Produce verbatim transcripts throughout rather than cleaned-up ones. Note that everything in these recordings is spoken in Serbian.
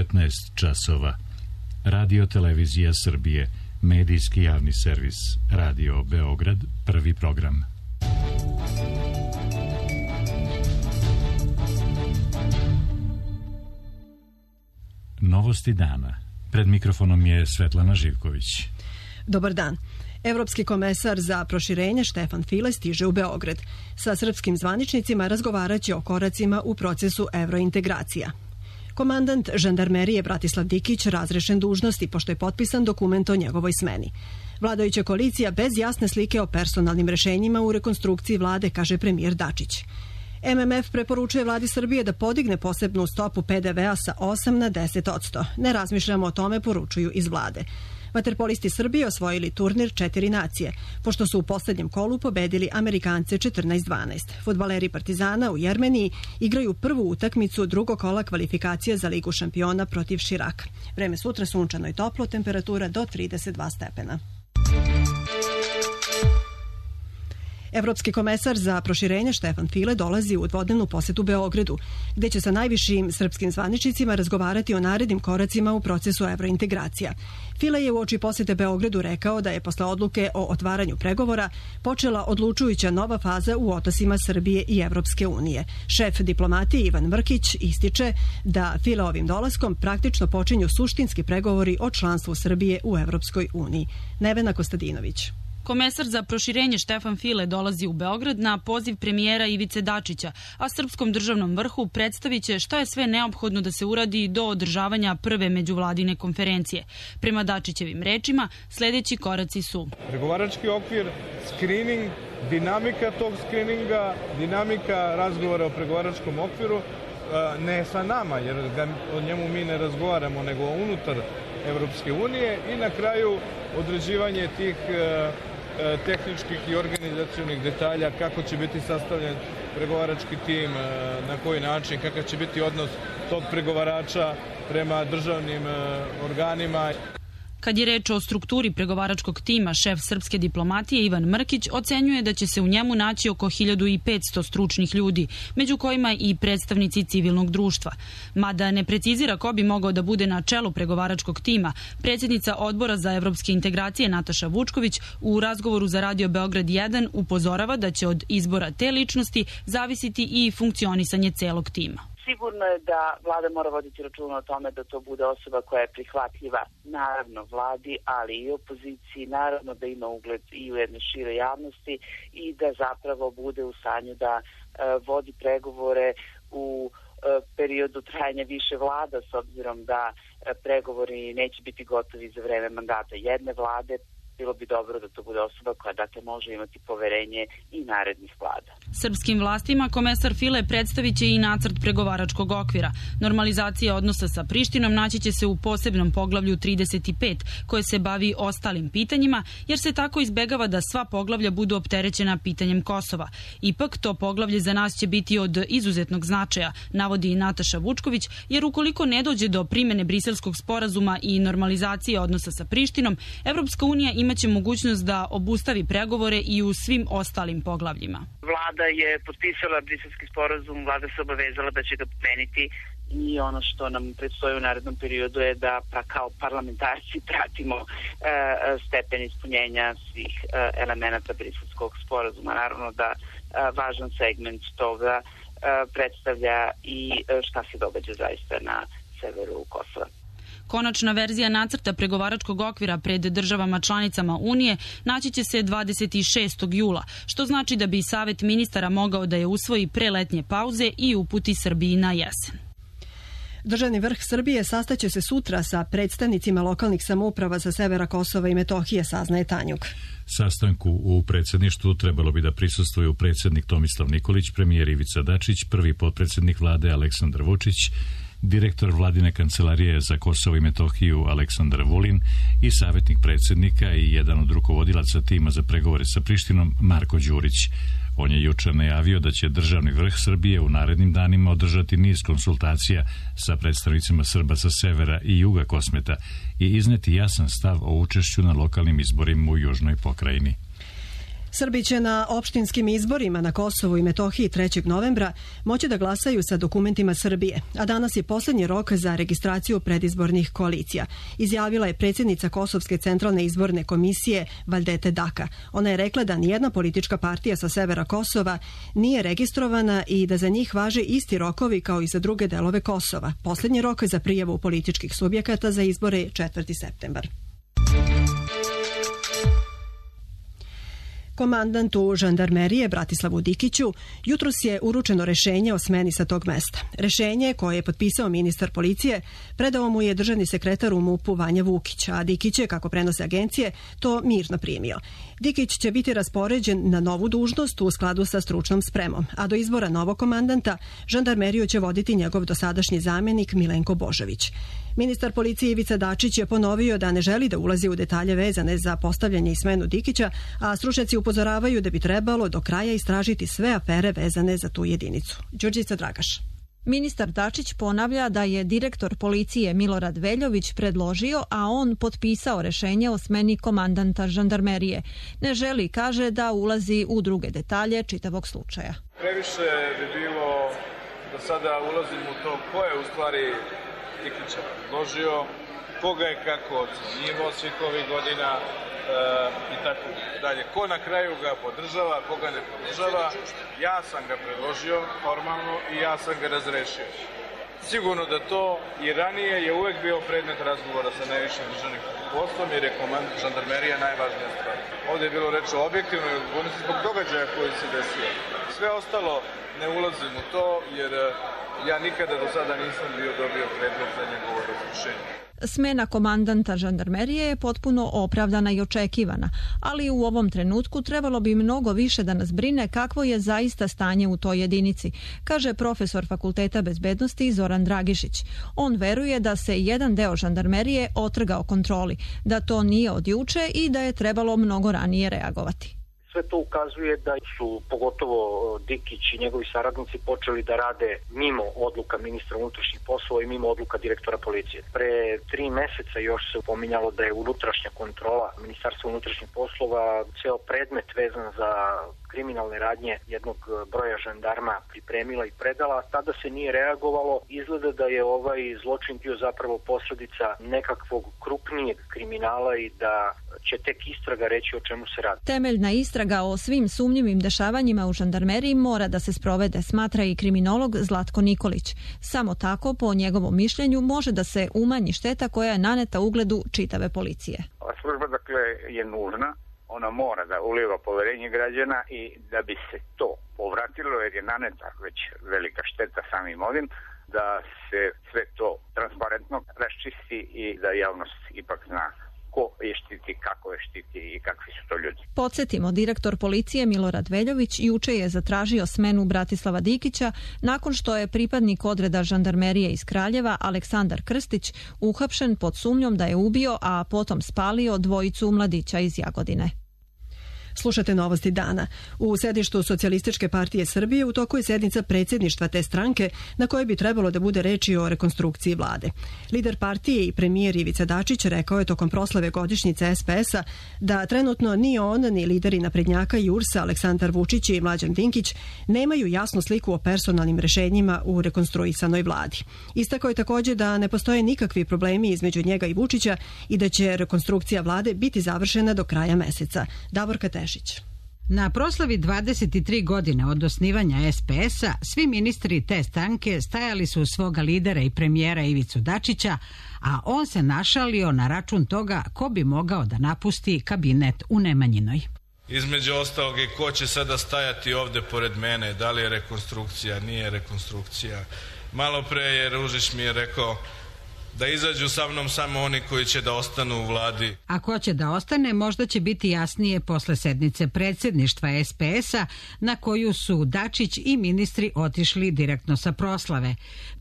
devetnaest časova. Radio Televizija Srbije, medijski javni servis, Radio Beograd, prvi program. Novosti dana. Pred mikrofonom je Svetlana Živković. Dobar dan. Evropski komesar za proširenje Štefan File stiže u Beograd. Sa srpskim zvaničnicima razgovaraće o koracima u procesu evrointegracija. Komandant žandarmerije Bratislav Dikić razrešen dužnosti pošto je potpisan dokument o njegovoj smeni. Vladajuća koalicija bez jasne slike o personalnim rešenjima u rekonstrukciji vlade, kaže premijer Dačić. M M F preporučuje vladi Srbije da podigne posebnu stopu P D V-a sa osam na deset odsto. Ne razmišljamo o tome, poručuju iz vlade. Vaterpolisti Srbije osvojili turnir četiri nacije, pošto su u poslednjem kolu pobedili Amerikance četrnaest dvanaest. Fudbaleri Partizana u Jermeniji igraju prvu utakmicu drugog kola kvalifikacije za Ligu šampiona protiv Širaka. Vreme sutra sunčano i toplo, temperatura do trideset dva stepena. Evropski komesar za proširenje Štefan File dolazi u dvodnevnu posetu Beogradu, gde će sa najvišim srpskim zvaničnicima razgovarati o narednim koracima u procesu evrointegracija. File je uoči posete Beogradu rekao da je posle odluke o otvaranju pregovora počela odlučujuća nova faza u odnosima Srbije i Evropske unije. Šef diplomatije Ivan Mrkić ističe da Fileovim dolaskom praktično počinju suštinski pregovori o članstvu Srbije u Evropskoj uniji. Nevena Kostadinović. Komesar za proširenje Štefan File dolazi u Beograd na poziv premijera Ivice Dačića, a srpskom državnom vrhu predstavit će šta je sve neophodno da se uradi do održavanja prve međuvladine konferencije. Prema Dačićevim rečima, sledeći koraci su pregovarački okvir, skrining, dinamika tog skrininga, dinamika razgovora o pregovaračkom okviru, ne sa nama, jer o njemu mi ne razgovaramo, nego unutar Evropske unije, i na kraju određivanje tih tehničkih i organizacionih detalja, kako će biti sastavljen pregovarački tim, na koji način, kakav će biti odnos tog pregovarača prema državnim organima. Kad je reč o strukturi pregovaračkog tima, šef srpske diplomatije Ivan Mrkić ocenjuje da će se u njemu naći oko hiljadu petsto stručnih ljudi, među kojima i predstavnici civilnog društva. Mada ne precizira ko bi mogao da bude na čelu pregovaračkog tima, predsjednica Odbora za evropske integracije Nataša Vučković u razgovoru za Radio Beograd jedan upozorava da će od izbora te ličnosti zavisiti i funkcionisanje celog tima. Sigurno je da vlada mora voditi računa o tome da to bude osoba koja je prihvatljiva, naravno vladi, ali i opoziciji, naravno da ima ugled i u jednoj široj javnosti i da zapravo bude u stanju da e, vodi pregovore u e, periodu trajanja više vlada, s obzirom da e, pregovori neće biti gotovi za vreme mandata jedne vlade. Bilo bi dobro da to bude osoba koja dakle može imati poverenje i narednih vlada. Srpskim vlastima komesar File predstavit će i nacrt pregovaračkog okvira. Normalizacija odnosa sa Prištinom naći će se u posebnom poglavlju trideset pet, koje se bavi ostalim pitanjima, jer se tako izbegava da sva poglavlja budu opterećena pitanjem Kosova. Ipak, to poglavlje za nas će biti od izuzetnog značaja, navodi i Nataša Vučković, jer ukoliko ne dođe do primene Briselskog sporazuma i normalizacije odnosa sa Prištinom, Evropska unija ima imaće mogućnost da obustavi pregovore i u svim ostalim poglavljima. Vlada je potpisala briselski sporazum, vlada se obavezala da će ga primeniti i ono što nam predstoji u narednom periodu je da pa kao parlamentarci pratimo e, stepen ispunjenja svih e, elemenata briselskog sporazuma. Naravno da e, važan segment toga e, predstavlja i e, šta se događa zaista na severu Kosova. Konačna verzija nacrta pregovaračkog okvira pred državama članicama Unije naći će se dvadeset šestog jula, što znači da bi Savet ministara mogao da je usvoji pre letnje pauze i uputi Srbiji na jesen. Državni vrh Srbije sastaće se sutra sa predstavnicima lokalnih samouprava sa severa Kosova i Metohije, saznaje Tanjuk. Sastanku u predsjedništvu trebalo bi da prisustvuju predsjednik Tomislav Nikolić, premijer Ivica Dačić, prvi potpredsjednik vlade Aleksandar Vučić, direktor vladine kancelarije za Kosovo i Metohiju Aleksandar Vulin i savjetnik predsjednika i jedan od rukovodilaca tima za pregovore sa Prištinom Marko Đurić. On je jučer najavio da će državni vrh Srbije u narednim danima održati niz konsultacija sa predstavnicima Srba sa severa i juga Kosmeta i izneti jasan stav o učešću na lokalnim izborima u južnoj pokrajini. Srbi će na opštinskim izborima na Kosovu i Metohiji trećeg novembra moći da glasaju sa dokumentima Srbije, a danas je poslednji rok za registraciju predizbornih koalicija, izjavila je predsjednica Kosovske centralne izborne komisije Valdete Daka. Ona je rekla da nijedna politička partija sa severa Kosova nije registrovana i da za njih važe isti rokovi kao i za druge delove Kosova. Poslednji rok za prijavu političkih subjekata za izbore je četvrti septembar. Komandantu žandarmerije Bratislavu Dikiću jutros je uručeno rešenje o smeni sa tog mesta. Rešenje koje je potpisao ministar policije predao mu je državni sekretar u MUP-u Vanja Vukić, a Dikić je, kako prenose agencije, to mirno primio. Dikić će biti raspoređen na novu dužnost u skladu sa stručnom spremom, a do izbora novog komandanta žandarmeriju će voditi njegov dosadašnji zamjenik Milenko Božović. Ministar policije Ivica Dačić je ponovio da ne želi da ulazi u detalje vezane za postavljanje i smenu Dikića, a stručnjaci upozoravaju da bi trebalo do kraja istražiti sve afere vezane za tu jedinicu. Đurđica Dragaš. Ministar Dačić ponavlja da je direktor policije Milorad Veljović predložio, a on potpisao rešenje o smeni komandanta žandarmerije. Ne želi, kaže, da ulazi u druge detalje čitavog slučaja. Previše bi bilo da sada ulazim u to ko je u stvari Dikića predložio, koga je kako ocenjivao svih ovih godina e, i tako dalje. Ko na kraju ga podržava, koga ne podržava. Ja sam ga predložio formalno i ja sam ga razrešio. Sigurno da to i ranije je uvek bio predmet razgovora sa najvišim državnim poslom, jer je komandant žandarmerija najvažnija stvar. Ovdje je bilo reč o objektivnoj odgovornosti zbog događaja koji se desio. Sve ostalo ne ulazim u to, jer ja nikada do sada nisam bio dobio predlog za njegovo razrešenje. Smena komandanta žandarmerije je potpuno opravdana i očekivana, ali u ovom trenutku trebalo bi mnogo više da nas brine kakvo je zaista stanje u toj jedinici, kaže profesor Fakulteta bezbednosti Zoran Dragišić. On veruje da se jedan deo žandarmerije otrgao kontroli, da to nije od juče i da je trebalo mnogo ranije reagovati. Sve to ukazuje da su pogotovo Dikić i njegovi saradnici počeli da rade mimo odluka ministra unutrašnjih poslova i mimo odluka direktora policije. Pre tri meseca još se pominjalo da je unutrašnja kontrola Ministarstva unutrašnjih poslova ceo predmet vezan za kriminalne radnje jednog broja žandarma pripremila i predala, a tada se nije reagovalo. Izgleda da je ovaj zločin bio zapravo posledica nekakvog krupnijeg kriminala i da će tek istraga reći o čemu se radi. Temeljna istraga o svim sumnjivim dešavanjima u žandarmeriji mora da se sprovede, smatra i kriminolog Zlatko Nikolić. Samo tako, po njegovom mišljenju, može da se umanji šteta koja je naneta ugledu čitave policije. Ova služba, dakle, je nužna. Ona mora da uliva poverenje građana i da bi se to povratilo, jer je naneta već velika šteta samim ovim, da se sve to transparentno raščisti i da javnost ipak zna ko je štiti, kako je štiti i kakvi su to ljudi. Podsjetimo, direktor policije Milorad Veljović juče je zatražio smenu Bratislava Dikića nakon što je pripadnik odreda žandarmerije iz Kraljeva Aleksandar Krstić uhapšen pod sumnjom da je ubio, a potom spalio dvojicu mladića iz Jagodine. Slušate novosti dana. U sedištu Socijalističke partije Srbije u toku je sednica predsjedništva te stranke na kojoj bi trebalo da bude reči o rekonstrukciji vlade. Lider partije i premijer Ivica Dačić rekao je tokom proslave godišnjice es pe es-a da trenutno ni on ni lideri naprednjaka i u er es-a Aleksandar Vučić i Mlađan Dinkić nemaju jasnu sliku o personalnim rešenjima u rekonstruisanoj vladi. Istakao je također da ne postoje nikakvi problemi između njega i Vučića i da će rekonstrukcija vlade biti završena do kraja meseca. Davorka Tešić. Na proslavi dvadeset tri godine od osnivanja es pe es-a svi ministri te stranke stajali su uz svoga lidera i premijera Ivicu Dačića, a on se našalio na račun toga ko bi mogao da napusti kabinet u Nemanjinoj. Između ostalog i ko će sada stajati ovde pored mene, da li je rekonstrukcija, nije rekonstrukcija. Malo pre je Ružić mi je rekao da izađu sa mnom samo oni koji će da ostanu u vladi. A ko će da ostane, možda će biti jasnije posle sednice predsjedništva es pe es-a na koju su Dačić i ministri otišli direktno sa proslave.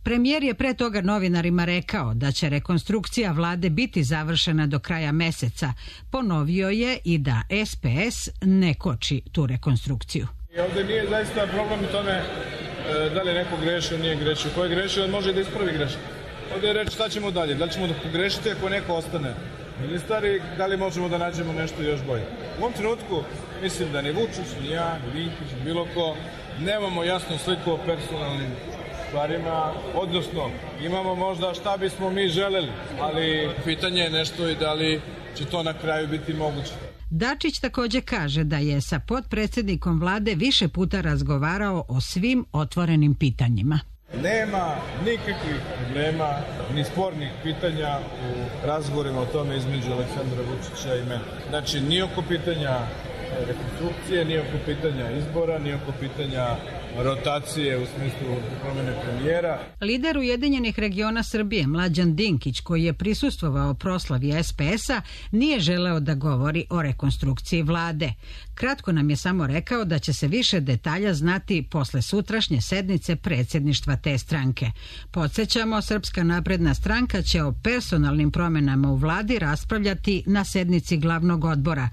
Premijer je pre toga novinarima rekao da će rekonstrukcija vlade biti završena do kraja meseca. Ponovio je i da es pe es ne koči tu rekonstrukciju. I ovdje nije zaista problem u tome da li neko grešio, nije grešio. Ko je grešio, on može da ispravi grešku. Ovdje je reći šta ćemo dalje, da li ćemo da pogrešiti ako neko ostane. ministar i da li možemo da nađemo nešto još bolje. U ovom trenutku mislim da ni Vučić, ni ja, ni Dinkić, ni bilo ko, nemamo jasnu sliku o personalnim stvarima, odnosno imamo možda šta bismo mi želeli, ali pitanje je nešto i da li će to na kraju biti moguće. Dačić također kaže da je sa potpredsjednikom vlade više puta razgovarao o svim otvorenim pitanjima. Nema nikakvih problema ni spornih pitanja u razgovorima o tome između Aleksandra Vučića i mene. Znači, ni oko pitanja rekonstrukcije, ni oko pitanja izbora, ni oko pitanja rotacije u smislu promjene premijera. Lider Ujedinjenih regiona Srbije Mlađan Dinkić, koji je prisustvovao proslavi es pe es-a, nije želeo da govori o rekonstrukciji vlade. Kratko nam je samo rekao da će se više detalja znati posle sutrašnje sednice predsjedništva te stranke. Podsjećamo, Srpska napredna stranka će o personalnim promjenama u vladi raspravljati na sednici glavnog odbora,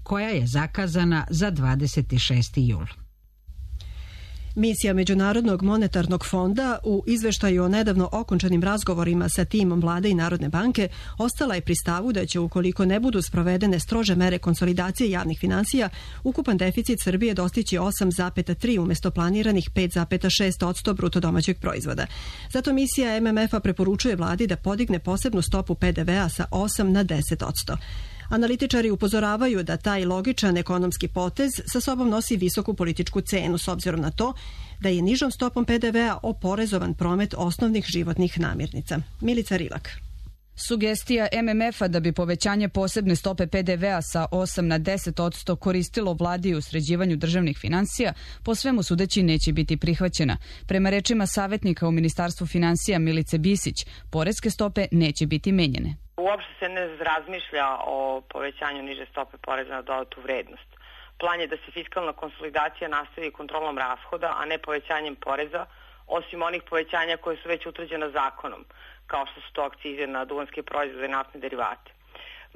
koja je zakazana za dvadeset šesti jul. Misija Međunarodnog monetarnog fonda u izveštaju o nedavno okončanim razgovorima sa timom vlade i Narodne banke ostala je pri stavu da će, ukoliko ne budu sprovedene strože mere konsolidacije javnih finansija, ukupan deficit Srbije dostići osam zarez tri umjesto planiranih pet zarez šest posto bruto domaćeg proizvoda. Zato misija em em ef-a preporučuje vladi da podigne posebnu stopu pe de ve-a sa osam na deset posto. Analitičari upozoravaju da taj logičan ekonomski potez sa sobom nosi visoku političku cenu s obzirom na to da je nižom stopom pe de ve-a oporezovan promet osnovnih životnih namirnica. Milica Rilak. Sugestija em em ef-a da bi povećanje posebne stope pe de ve-a sa osam na deset posto koristilo vladi u sređivanju državnih finansija, po svemu sudeći neće biti prihvaćena. Prema rečima savjetnika u Ministarstvu finansija Milice Bisić, poreske stope neće biti menjene. Uopšte se ne razmišlja o povećanju niže stope poreza na dodatu vrednost. Plan je da se fiskalna konsolidacija nastavi kontrolom rashoda, a ne povećanjem poreza, osim onih povećanja koje su već utvrđena zakonom, kao što su to akcize na duvanske proizvode i naftne derivate.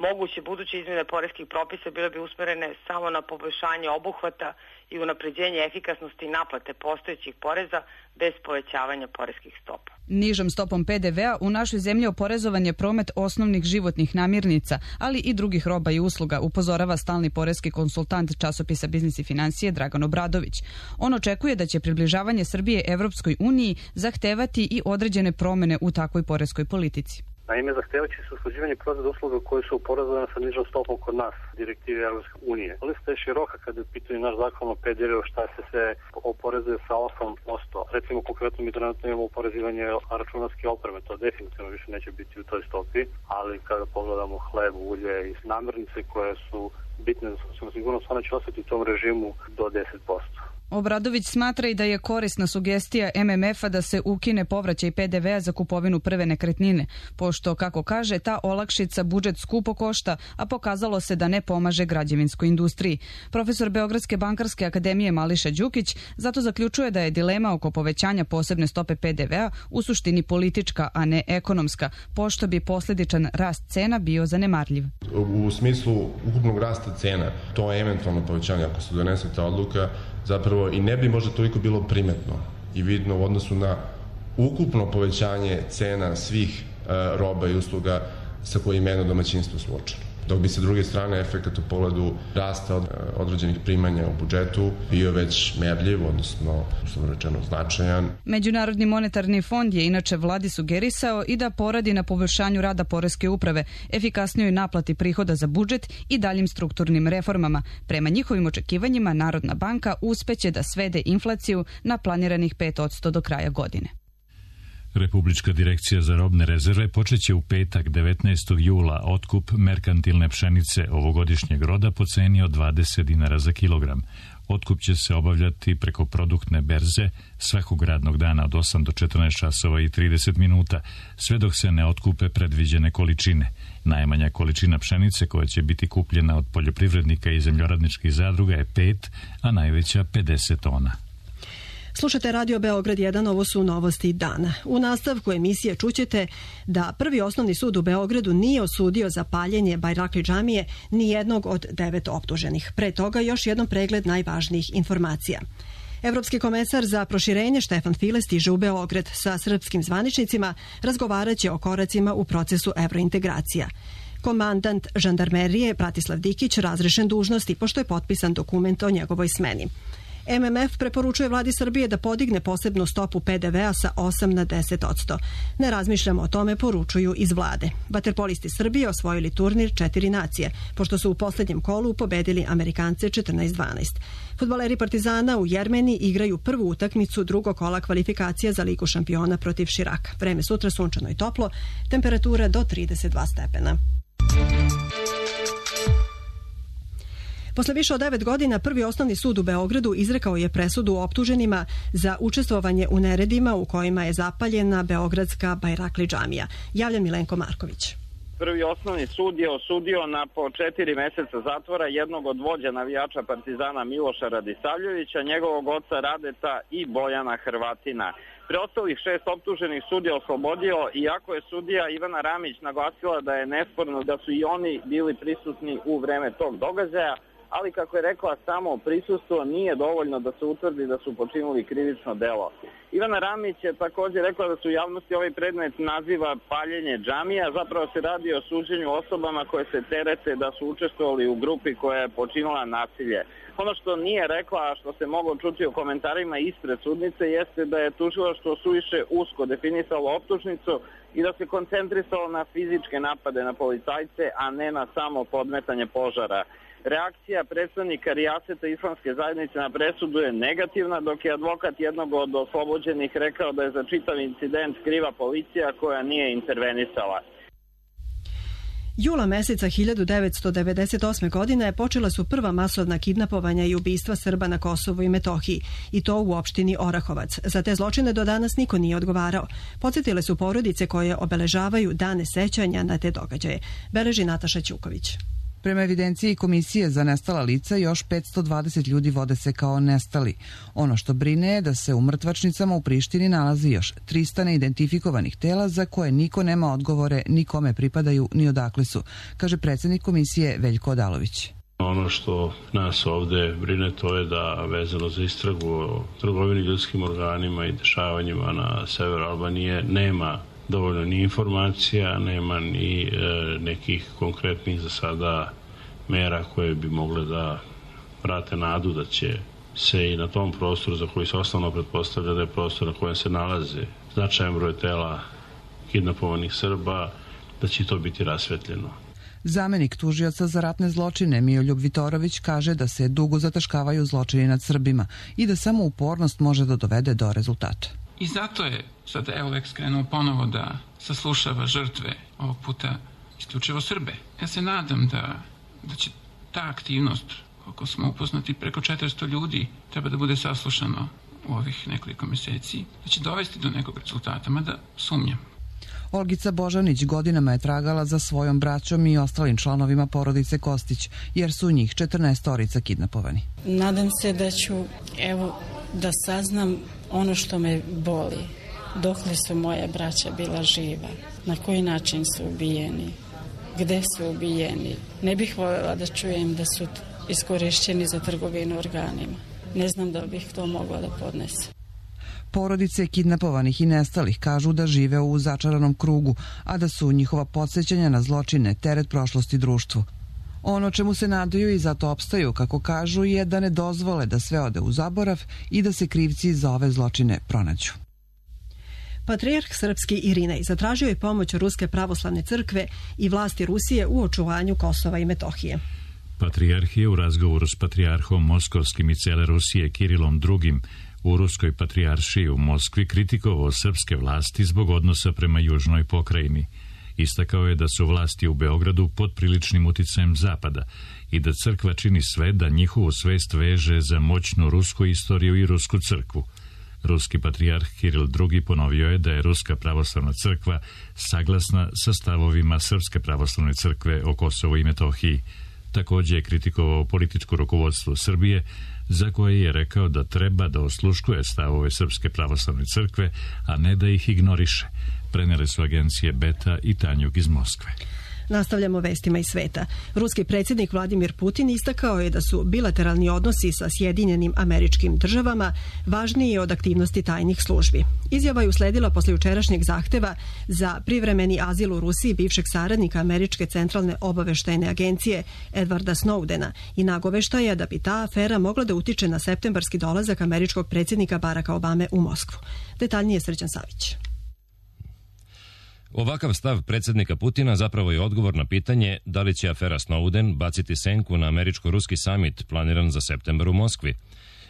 Moguće buduće izmjene poreskih propisa bile bi usmerene samo na poboljšanje obuhvata i unapređenje efikasnosti i naplate postojećih poreza bez povećavanja poreskih stopa. Nižom stopom pe de ve-a u našoj zemlji oporezovan je promet osnovnih životnih namirnica, ali i drugih roba i usluga, upozorava stalni poreski konsultant časopisa Biznis i financije Dragan Obradović. On očekuje da će približavanje Srbije Evropskoj uniji zahtevati i određene promjene u takvoj poreskoj politici. Naime, zahtevaće se usklađivanje proizvoda usluga koji su oporezovane sa nižom stopom kod nas, direktive Evropske unije. Lista je široka kada je pitanje naš zakon o pe de ve-u, šta se sve oporezuje sa osam posto. Recimo, konkretno mi trenutno imamo oporezivanje računarske opreme, to definitivno više neće biti u toj stopi, ali kada pogledamo hleb, ulje i namirnice koje su bitne za socijalnu sigurnost, one će ostati u tom režimu do deset posto. Obradović smatra i da je korisna sugestija em em ef-a da se ukine povraćaj pe de ve-a za kupovinu prve nekretnine, pošto, kako kaže, ta olakšica budžet skupo košta, a pokazalo se da ne pomaže građevinskoj industriji. Profesor Beogradske bankarske akademije Mališa Đukić zato zaključuje da je dilema oko povećanja posebne stope pe de ve-a u suštini politička, a ne ekonomska, pošto bi posljedičan rast cena bio zanemarljiv. U smislu ukupnog rasta cena, to je eventualno povećanje, ako se donese ta odluka, zapravo i ne bi možda toliko bilo primetno i vidno u odnosu na ukupno povećanje cena svih e, roba i usluga sa kojim jedno domaćinstvo suočeno. Dok bi sa druge strane efekat u pogledu rasta od, određenih primanja u budžetu bio već merljiv, odnosno, što rečeno, značajan. Međunarodni monetarni fond je inače vladi sugerisao i da poradi na poboljšanju rada poreske uprave, efikasnijoj naplati prihoda za budžet i daljim strukturnim reformama. Prema njihovim očekivanjima, Narodna banka uspeće da svede inflaciju na planiranih pet posto do kraja godine. Republička direkcija za robne rezerve počeće u petak devetnaestog jula otkup merkantilne pšenice ovogodišnjeg roda po ceni od dvadeset dinara za kilogram. Otkup će se obavljati preko produktne berze svakog radnog dana od osam do četrnaest časova i trideset minuta, sve dok se ne otkupe predviđene količine. Najmanja količina pšenice koja će biti kupljena od poljoprivrednika i zemljoradničkih zadruga je pet, a najveća pedeset tona. Slušate Radio Beograd jedan, ovo su novosti dana. U nastavku emisije čućete da Prvi osnovni sud u Beogradu nije osudio za paljenje Bajrakli džamije ni jednog od devet optuženih. Pre toga još jednom pregled najvažnijih informacija. Evropski komesar za proširenje Štefan File stiže u Beograd. Sa srpskim zvaničnicima razgovaraće o koracima u procesu evrointegracija. Komandant žandarmerije Bratislav Dikić razrešen dužnosti pošto je potpisan dokument o njegovoj smeni. M M F preporučuje vladi Srbije da podigne posebnu stopu P D V-a sa osam na deset odsto. Ne razmišljamo o tome, poručuju iz vlade. Vaterpolisti Srbije osvojili turnir četiri nacije, pošto su u posljednjem kolu pobedili Amerikance četrnaest dvanaest. Fudbaleri Partizana u Jermeniji igraju prvu utakmicu drugog kola kvalifikacija za Ligu šampiona protiv Širaka. Vreme sutra sunčano i toplo, temperatura do trideset dva stepena. Posle više od devet godina Prvi osnovni sud u Beogradu izrekao je presudu optuženima za učestvovanje u neredima u kojima je zapaljena beogradska Bajrakli džamija. Javlja Milenko Marković. Prvi osnovni sud je osudio na po četiri meseca zatvora jednog od vođa navijača Partizana Miloša Radisavljevića, njegovog oca Radeta i Bojana Hrvatina. Preostalih šest optuženih sud je oslobodio, iako je sudija Ivana Ramić naglasila da je nesporno da su i oni bili prisutni u vreme tog događaja, ali kako je rekla, samo prisustvo nije dovoljno da se utvrdi da su počinili krivično delo. Ivana Ramić je također rekla da su u javnosti ovaj predmet naziva paljenje džamija. Zapravo se radi o suđenju osobama koje se terete da su učestvovali u grupi koja je počinila nasilje. Ono što nije rekla, a što se moglo čuti u komentarima ispred sudnice, jeste da je tužilaštvo suviše usko definisalo optužnicu i da se koncentrisalo na fizičke napade na policajce, a ne na samo podmetanje požara. Reakcija predstavnika Rijaseta islamske zajednice na presudu je negativna, dok je advokat jednog od oslobođenih rekao da je za čitav incident kriva policija koja nije intervenisala. Jula meseca hiljadu devetsto devedeset osme. godine počela su prva masovna kidnapovanja i ubistva Srba na Kosovu i Metohiji, i to u opštini Orahovac. Za te zločine do danas niko nije odgovarao. Podsjetile su porodice koje obeležavaju dane sećanja na te događaje. Beleži Nataša Ćuković. Prema evidenciji Komisije za nestala lica, još petsto dvadeset ljudi vode se kao nestali. Ono što brine je da se u mrtvačnicama u Prištini nalazi još trista neidentifikovanih tela za koje niko nema odgovore ni kome pripadaju ni odakle su, kaže predsjednik Komisije Veljko Odalović. Ono što nas ovde brine to je da vezano za istragu o trgovini ljudskim organima i dešavanjima na severu Albanije nema dovoljno ni informacija, nema ni e, nekih konkretnih za sada mera koje bi mogle da vrate nadu da će se i na tom prostoru za koji se osnovno pretpostavlja da je prostor na kojem se nalaze značajan broj tela kidnapovanih Srba, da će to biti rasvetljeno. Zamenik tužioca za ratne zločine Mijoljub Vitorović kaže da se dugo zataškavaju zločini nad Srbima i da samo upornost može da dovede do rezultata. I zato je sad Euleks krenuo ponovo da saslušava žrtve, ovog puta isključivo Srbe. Ja se nadam da, da će ta aktivnost, koliko smo upoznati, preko četiristo ljudi treba da bude saslušano u ovih nekoliko meseci, da će dovesti do nekog rezultata, mada sumnjam. Olgica Božanić godinama je tragala za svojom braćom i ostalim članovima porodice Kostić, jer su njih četrnaestorica kidnapovani. Nadam se da ću, evo, da saznam ono što me boli. Dokle su moja braća bila živa? Na koji način su ubijeni? Gde su ubijeni? Ne bih voljela da čujem da su iskorišćeni za trgovinu organima. Ne znam da bih to mogla da podnesem. Porodice kidnapovanih i nestalih kažu da žive u začaranom krugu, a da su njihova podsjećanja na zločine teret prošlosti društvu. Ono čemu se nadaju i zato opstaju, kako kažu, je da ne dozvole da sve ode u zaborav i da se krivci za ove zločine pronađu. Patrijarh srpski Irinej zatražio je pomoć Ruske pravoslavne crkve i vlasti Rusije u očuvanju Kosova i Metohije. Patrijarh je u razgovoru s patrijarhom Moskovskim i cele Rusije Kirilom drugim u Ruskoj patrijaršiji u Moskvi kritikovao srpske vlasti zbog odnosa prema južnoj pokrajini. Istakao je da su vlasti u Beogradu pod priličnim uticajem Zapada i da crkva čini sve da njihovu svest veže za moćnu rusku istoriju i rusku crkvu. Ruski patrijarh Kiril drugi ponovio je da je Ruska pravoslavna crkva saglasna sa stavovima Srpske pravoslavne crkve o Kosovu i Metohiji. Također je kritikovao političko rukovodstvo Srbije, za koje je rekao da treba da osluškuje stavove Srpske pravoslavne crkve, a ne da ih ignoriše. Prenele su agencije Beta i Tanjug iz Moskve. Nastavljamo vestima iz sveta. Ruski predsjednik Vladimir Putin istakao je da su bilateralni odnosi sa Sjedinjenim Američkim Državama važniji od aktivnosti tajnih službi. Izjava je usledila posle jučerašnjeg zahteva za privremeni azil u Rusiji bivšeg saradnika Američke centralne obaveštajne agencije Edwarda Snowdena i nagoveštaja da bi ta afera mogla da utiče na septembarski dolazak američkog predsjednika Baracka Obame u Moskvu. Detaljnije Srđan Savić. Ovakav stav predsjednika Putina zapravo je odgovor na pitanje da li će afera Snowden baciti senku na američko-ruski samit planiran za septembar u Moskvi.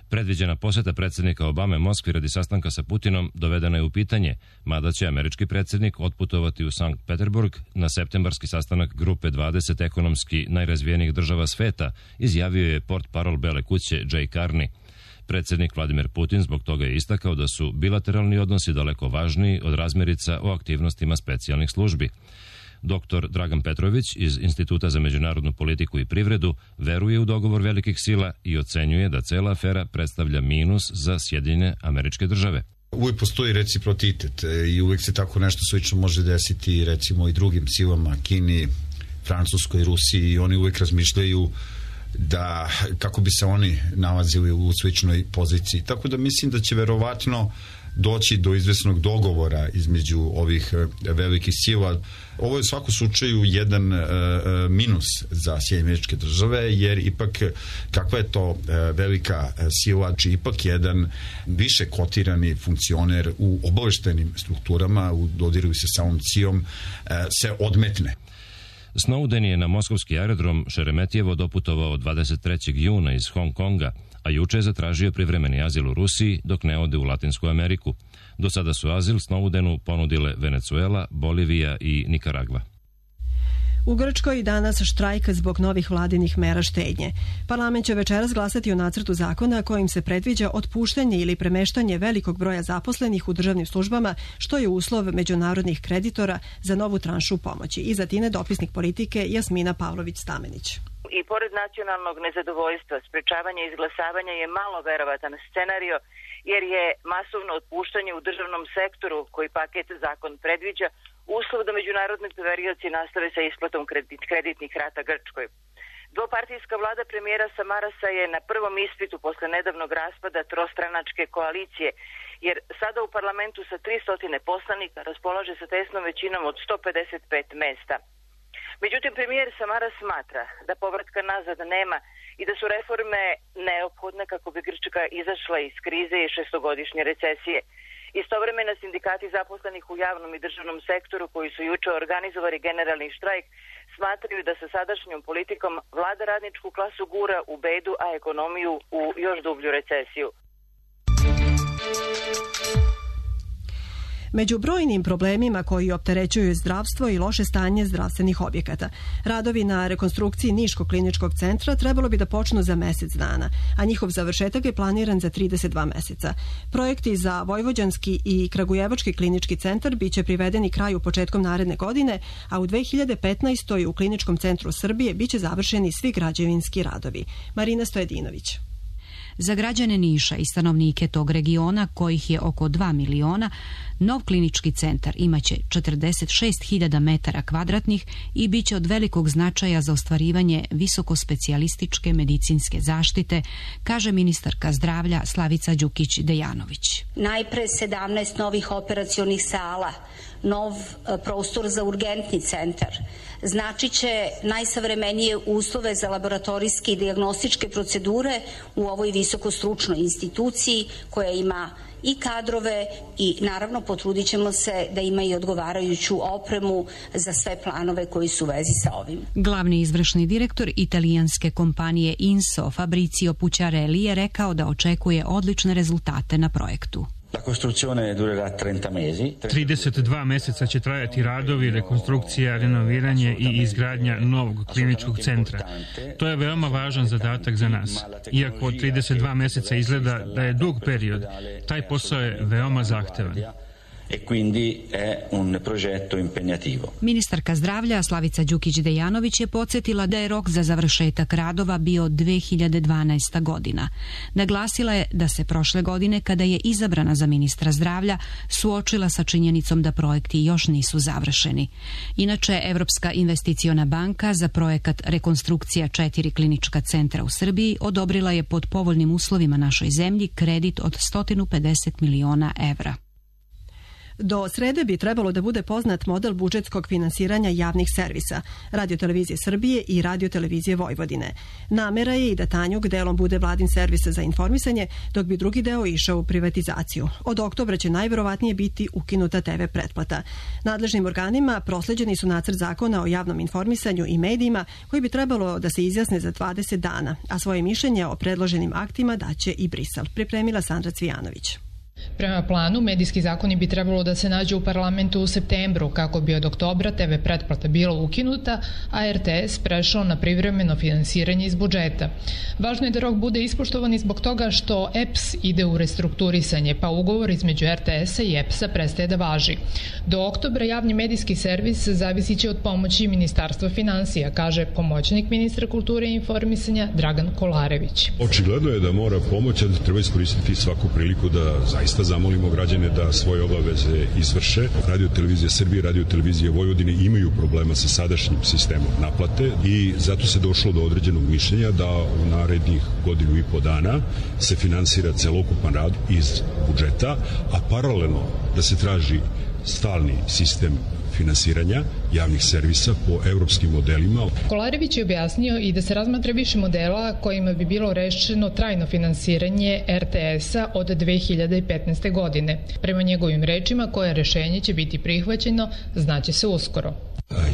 Predviđena posjeta predsjednika Obame Moskvi radi sastanka sa Putinom dovedena je u pitanje, mada će američki predsjednik otputovati u Sankt Peterburg na septembarski sastanak grupe dvadeset ekonomski najrazvijenijih država sveta, izjavio je portparol Bele kuće Jay Carney. Predsjednik Vladimir Putin zbog toga je istakao da su bilateralni odnosi daleko važniji od razmirica o aktivnostima specijalnih službi. Doktor Dragan Petrović iz Instituta za međunarodnu politiku i privredu veruje u dogovor velikih sila i ocenjuje da cela afera predstavlja minus za Sjedinjene Američke Države. Uvijek postoji reciprocitet i uvijek se tako nešto slično može desiti recimo i drugim silama, Kini, Francuskoj, Rusiji, i oni uvijek razmišljaju da kako bi se oni nalazili u sličnoj poziciji. Tako da mislim da će verovatno doći do izvesnog dogovora između ovih velikih sila. Ovo je u svakom slučaju jedan uh, minus za Sjedinjene Američke Države, jer ipak kakva je to uh, velika sila, či ipak jedan više kotirani funkcioner u obaveštajnim strukturama, u dodiru sa samom cijom, uh, se odmetne. Snowden je na moskovski aerodrom Šeremetijevo doputovao dvadeset trećeg juna iz Hong Konga, a juče je zatražio privremeni azil u Rusiji dok ne ode u Latinsku Ameriku. Do sada su azil Snowdenu ponudile Venezuela, Bolivija i Nikaragva. U Grčkoj danas štrajk zbog novih vladinih mera štednje. Parlament će večeras glasati o nacrtu zakona kojim se predviđa otpuštanje ili premeštanje velikog broja zaposlenih u državnim službama, što je uslov međunarodnih kreditora za novu tranšu pomoći. Iza Tine dopisnik politike Jasmina Pavlović-Stamenić. I pored nacionalnog nezadovoljstva, sprečavanje izglasavanja je malo verovatan scenario, jer je masovno otpuštanje u državnom sektoru, koji paket zakon predviđa, uslov da međunarodni poverioci nastave sa isplatom kredit, kreditnih rata Grčkoj. Dvopartijska vlada premijera Samarasa je na prvom ispitu posle nedavnog raspada trostranačke koalicije, jer sada u parlamentu sa tristo poslanika raspolaže sa tesnom većinom od sto pedeset pet mesta. Međutim, premijer Samaras smatra da povratka nazad nema i da su reforme neophodne kako bi Grčka izašla iz krize i šestogodišnje recesije. Istovremeno sindikati zaposlenih u javnom i državnom sektoru, koji su juče organizovali generalni štrajk, smatraju da sa sadašnjom politikom vlada radničku klasu gura u bedu, a ekonomiju u još dublju recesiju. Među brojnim problemima koji opterećuju zdravstvo i loše stanje zdravstvenih objekata, radovi na rekonstrukciji Niškog kliničkog centra trebalo bi da počnu za mesec dana, a njihov završetak je planiran za trideset dva meseca. Projekti za Vojvođanski i Kragujevački klinički centar biće privedeni kraju početkom naredne godine, a u dve hiljade petnaestoj. u Kliničkom centru Srbije biće završeni svi građevinski radovi. Marina Stojedinović. Za građane Niša i stanovnike tog regiona, kojih je oko dva miliona, nov klinički centar imaće četrdeset šest hiljada metara kvadratnih i bit će od velikog značaja za ostvarivanje visokospecijalističke medicinske zaštite, kaže ministarka zdravlja Slavica Đukić-Dejanović. Najpre sedamnaest novih operacionih sala, nov prostor za urgentni centar, značit će najsavremenije uslove za laboratorijske i dijagnostičke procedure u ovoj visokostručnoj instituciji koja ima i kadrove i naravno potrudit ćemo se da ima i odgovarajuću opremu za sve planove koji su u vezi sa ovim. Glavni izvršni direktor italijanske kompanije Inso Fabrizio Pucciarelli je rekao da očekuje odlične rezultate na projektu. trideset dva meseca će trajati radovi, rekonstrukcija, renoviranje i izgradnja novog kliničkog centra. To je veoma važan zadatak za nas. Iako trideset dva meseca izgleda da je dug period, taj posao je veoma zahtevan. e quindi è un progetto impegnativo. Ministarka zdravlja Slavica Đukić-Dejanović je podsjetila da je rok za završetak radova bio dve hiljade dvanaesta. godina. Naglasila je da se prošle godine, kada je izabrana za ministra zdravlja, suočila sa činjenicom da projekti još nisu završeni. Inače, Evropska investiciona banka za projekat rekonstrukcija četiri klinička centra u Srbiji odobrila je pod povoljnim uslovima našoj zemlji kredit od sto pedeset miliona evra. Do srede bi trebalo da bude poznat model budžetskog finansiranja javnih servisa, Radio-televizije Srbije i Radio-televizije Vojvodine. Namera je i da Tanjug delom bude vladin servis za informisanje, dok bi drugi deo išao u privatizaciju. Od oktobra će najverovatnije biti ukinuta te ve pretplata. Nadležnim organima prosleđeni su nacrt zakona o javnom informisanju i medijima koji bi trebalo da se izjasne za dvadeset dana, a svoje mišljenje o predloženim aktima daće i Brisel. Pripremila Sandra Cvijanović. Prema planu, medijski zakoni bi trebalo da se nađu u parlamentu u septembru, kako bi od oktobra te ve pretplata bila ukinuta, a er te es prešao na privremeno finansiranje iz budžeta. Važno je da rok bude ispoštovan i zbog toga što e pe es ide u restrukturisanje, pa ugovor između er te esa i e pe esa prestaje da važi. Do oktobra javni medijski servis zavisit će od pomoći Ministarstva finansija, kaže pomoćnik ministra kulture i informisanja Dragan Kolarević. Očigledno je da mora pomoć, da treba iskoristiti svaku priliku da zaista zamolimo građane da svoje obaveze izvrše. Radio-televizija Srbije i Radio-televizija Vojvodine imaju problema sa sadašnjim sistemom naplate i zato se došlo do određenog mišljenja da u narednih godinu i po dana se finansira celokupan rad iz budžeta, a paralelno da se traži stalni sistem finansiranja javnih servisa po evropskim modelima. Kolarević je objasnio i da se razmatra više modela kojima bi bilo rešeno trajno finansiranje er te esa od dve hiljade petnaeste. godine. Prema njegovim rečima, koje rešenje će biti prihvaćeno, znaće se uskoro.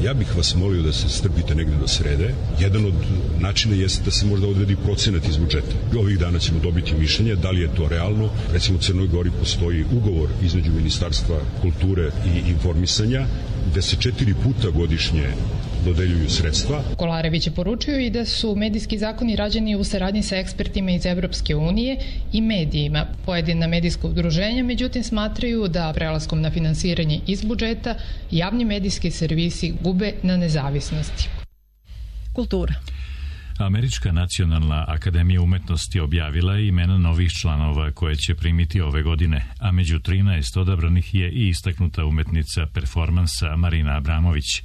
Ja bih vas molio da se strpite negde do srede. Jedan od načina jeste da se možda odredi procenat iz budžeta. Ovih dana ćemo dobiti mišljenje da li je to realno. Recimo u Crnoj Gori postoji ugovor između Ministarstva kulture i informisanja gde se četiri puta godišnje dodeljuju sredstva. Kolarević je poručio i da su medijski zakoni rađeni u saradnji sa ekspertima iz Evropske unije i medijima. Pojedina medijska udruženja, međutim, smatraju da prelaskom na finansiranje iz budžeta javni medijski servisi gube na nezavisnosti. Kultura. Američka nacionalna akademija umetnosti objavila je imena novih članova koje će primiti ove godine, a među trinaest odabranih je i istaknuta umetnica performansa Marina Abramović.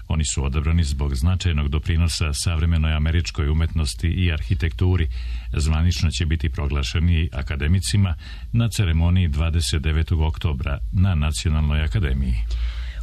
Oni su odabrani zbog značajnog doprinosa savremenoj američkoj umetnosti i arhitekturi. Zvanično će biti proglašeni akademicima na ceremoniji dvadeset devetog oktobra na Nacionalnoj akademiji.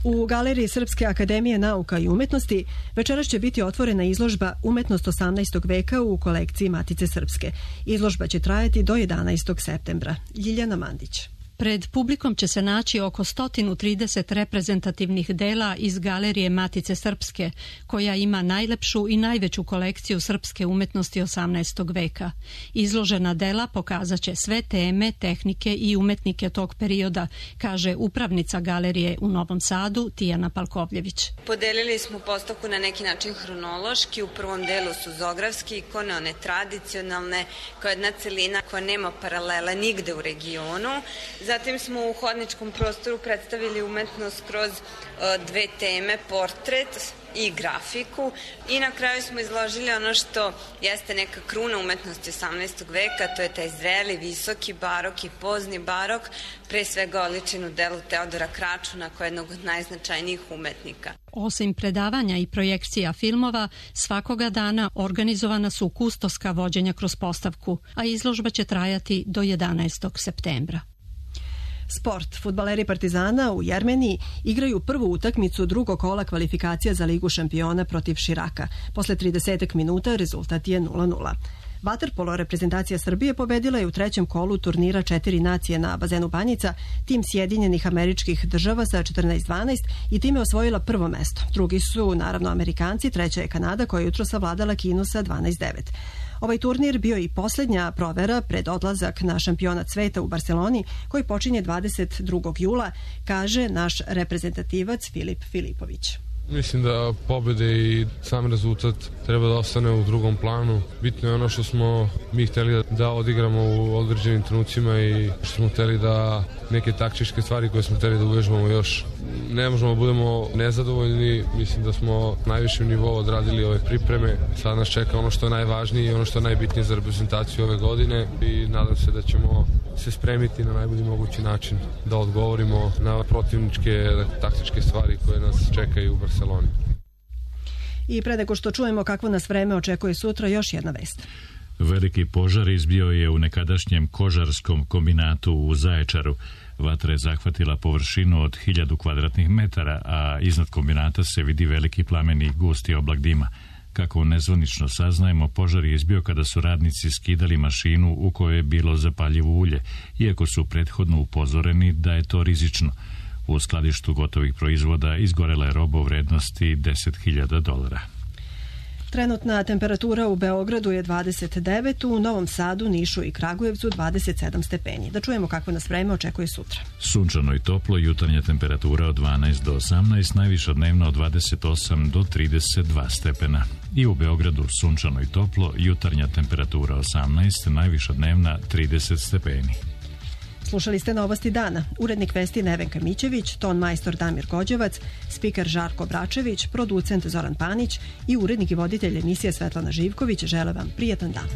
U Galeriji Srpske akademije nauka i umetnosti večeras će biti otvorena izložba Umetnost osamnaestog veka u kolekciji Matice Srpske. Izložba će trajati do jedanaestog septembra. Ljiljana Mandić. Pred publikom će se naći oko sto trideset reprezentativnih dela iz Galerije Matice Srpske, koja ima najlepšu i najveću kolekciju srpske umetnosti osamnaestog veka. Izložena dela pokazat će sve teme, tehnike i umetnike tog perioda, kaže upravnica galerije u Novom Sadu Tijana Palkovljević. Podelili smo postavku na neki način hronološki. U prvom delu su zografske ikone, one tradicionalne, kao jedna celina koja nema paralela nigde u regionu. Zatim smo u hodničkom prostoru predstavili umetnost kroz dve teme, portret i grafiku, i na kraju smo izložili ono što jeste neka kruna umetnosti osamnaestog veka, to je taj zreli, visoki barok i pozni barok, pre svega oličen u delu Teodora Kračuna, koja je jednog od najznačajnijih umetnika. Osim predavanja i projekcija filmova, svakoga dana organizovana su kustoska vođenja kroz postavku, a izložba će trajati do jedanaestog septembra. Sport. Fudbaleri Partizana u Jermeniji igraju prvu utakmicu drugog kola kvalifikacija za Ligu šampiona protiv Širaka. Posle trideset minuta rezultat je nula nula. Vaterpolo reprezentacija Srbije pobedila je u trećem kolu turnira četiri nacije na bazenu Banjica tim Sjedinjenih Američkih Država sa četrnaest dvanaest i time osvojila prvo mesto. Drugi su naravno Amerikanci, treća je Kanada koja je jutro savladala Kinu sa dvanaest devet. Ovaj turnir bio i posljednja provera pred odlazak na šampionat sveta u Barceloni koji počinje dvadeset drugog jula, kaže naš reprezentativac Filip Filipović. Mislim da pobede i sam rezultat treba da ostane u drugom planu. Bitno je ono što smo mi hteli da odigramo u određenim trenucima i što smo hteli da neke taktičke stvari koje smo hteli da uvežbamo još. Ne možemo da budemo nezadovoljni, mislim da smo na najvišem nivou odradili ove pripreme. Sad nas čeka ono što je najvažnije i ono što je najbitnije za reprezentaciju ove godine i nadam se da ćemo se spremiti na najbolji mogući način da odgovorimo na protivničke taktičke stvari koje nas čekaju u Barceloni. I pre nego što čujemo kakvo nas vreme očekuje sutra, još jedna vest. Veliki požar izbio je u nekadašnjem kožarskom kombinatu u Zaječaru. Vatra je zahvatila površinu od hiljadu kvadratnih metara, a iznad kombinata se vidi veliki plamen i gusti oblak dima. Kako nezvanično saznajemo, požar je izbio kada su radnici skidali mašinu u kojoj je bilo zapaljivo ulje, iako su prethodno upozoreni da je to rizično. U skladištu gotovih proizvoda izgorela je roba u vrednosti deset hiljada dolara. Trenutna temperatura u Beogradu je dvadeset devet, u Novom Sadu, Nišu i Kragujevcu dvadeset sedam stepeni. Da čujemo kako nas vreme očekuje sutra. Sunčano i toplo, jutarnja temperatura od dvanaest do osamnaest, najviša dnevna od dvadeset osam do trideset dva stepena. I u Beogradu sunčano i toplo, jutarnja temperatura osamnaest, najviša dnevna trideset stepeni. Slušali ste Novosti dana. Urednik vesti Nevenka Mićević, ton majstor Damir Gođevac, spiker Žarko Bračević, producent Zoran Panić i urednik i voditelj emisije Svetlana Živković žele vam prijatan dan.